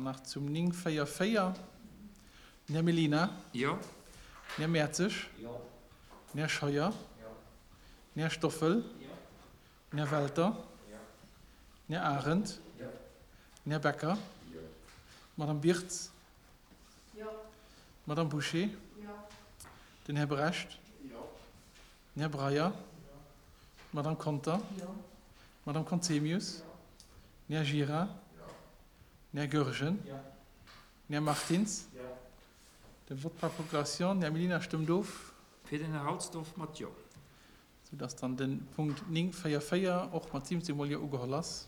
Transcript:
nach zum 944. Den Här Mellina. Jo. Den Här Mertzig. Jo. Den Här Scheuer. Jo. Den Här Stoffel. Jo. Den Här Welter. Jo. Den Här Arendt. Jo. Den Här Becker. Jo. D'Madame Birtz. Jo. D'Madame Bouché. Jo. Den Här Brecht. Jo. Den Här Breyer. Jo. D'Madame Conter. Jo. D'Madame Conzemius. Jo. Den Här Gira. Jo. Den Här Goergen. Jo. Den Här Martins. Jo. De Vote par procuration. Den Här Mellina stëmmt of. Fir den Här Halsdorf mat Jo. Soudass dann de Punkt 9.4.4 och mat 17 mol Jo ugeholl ass.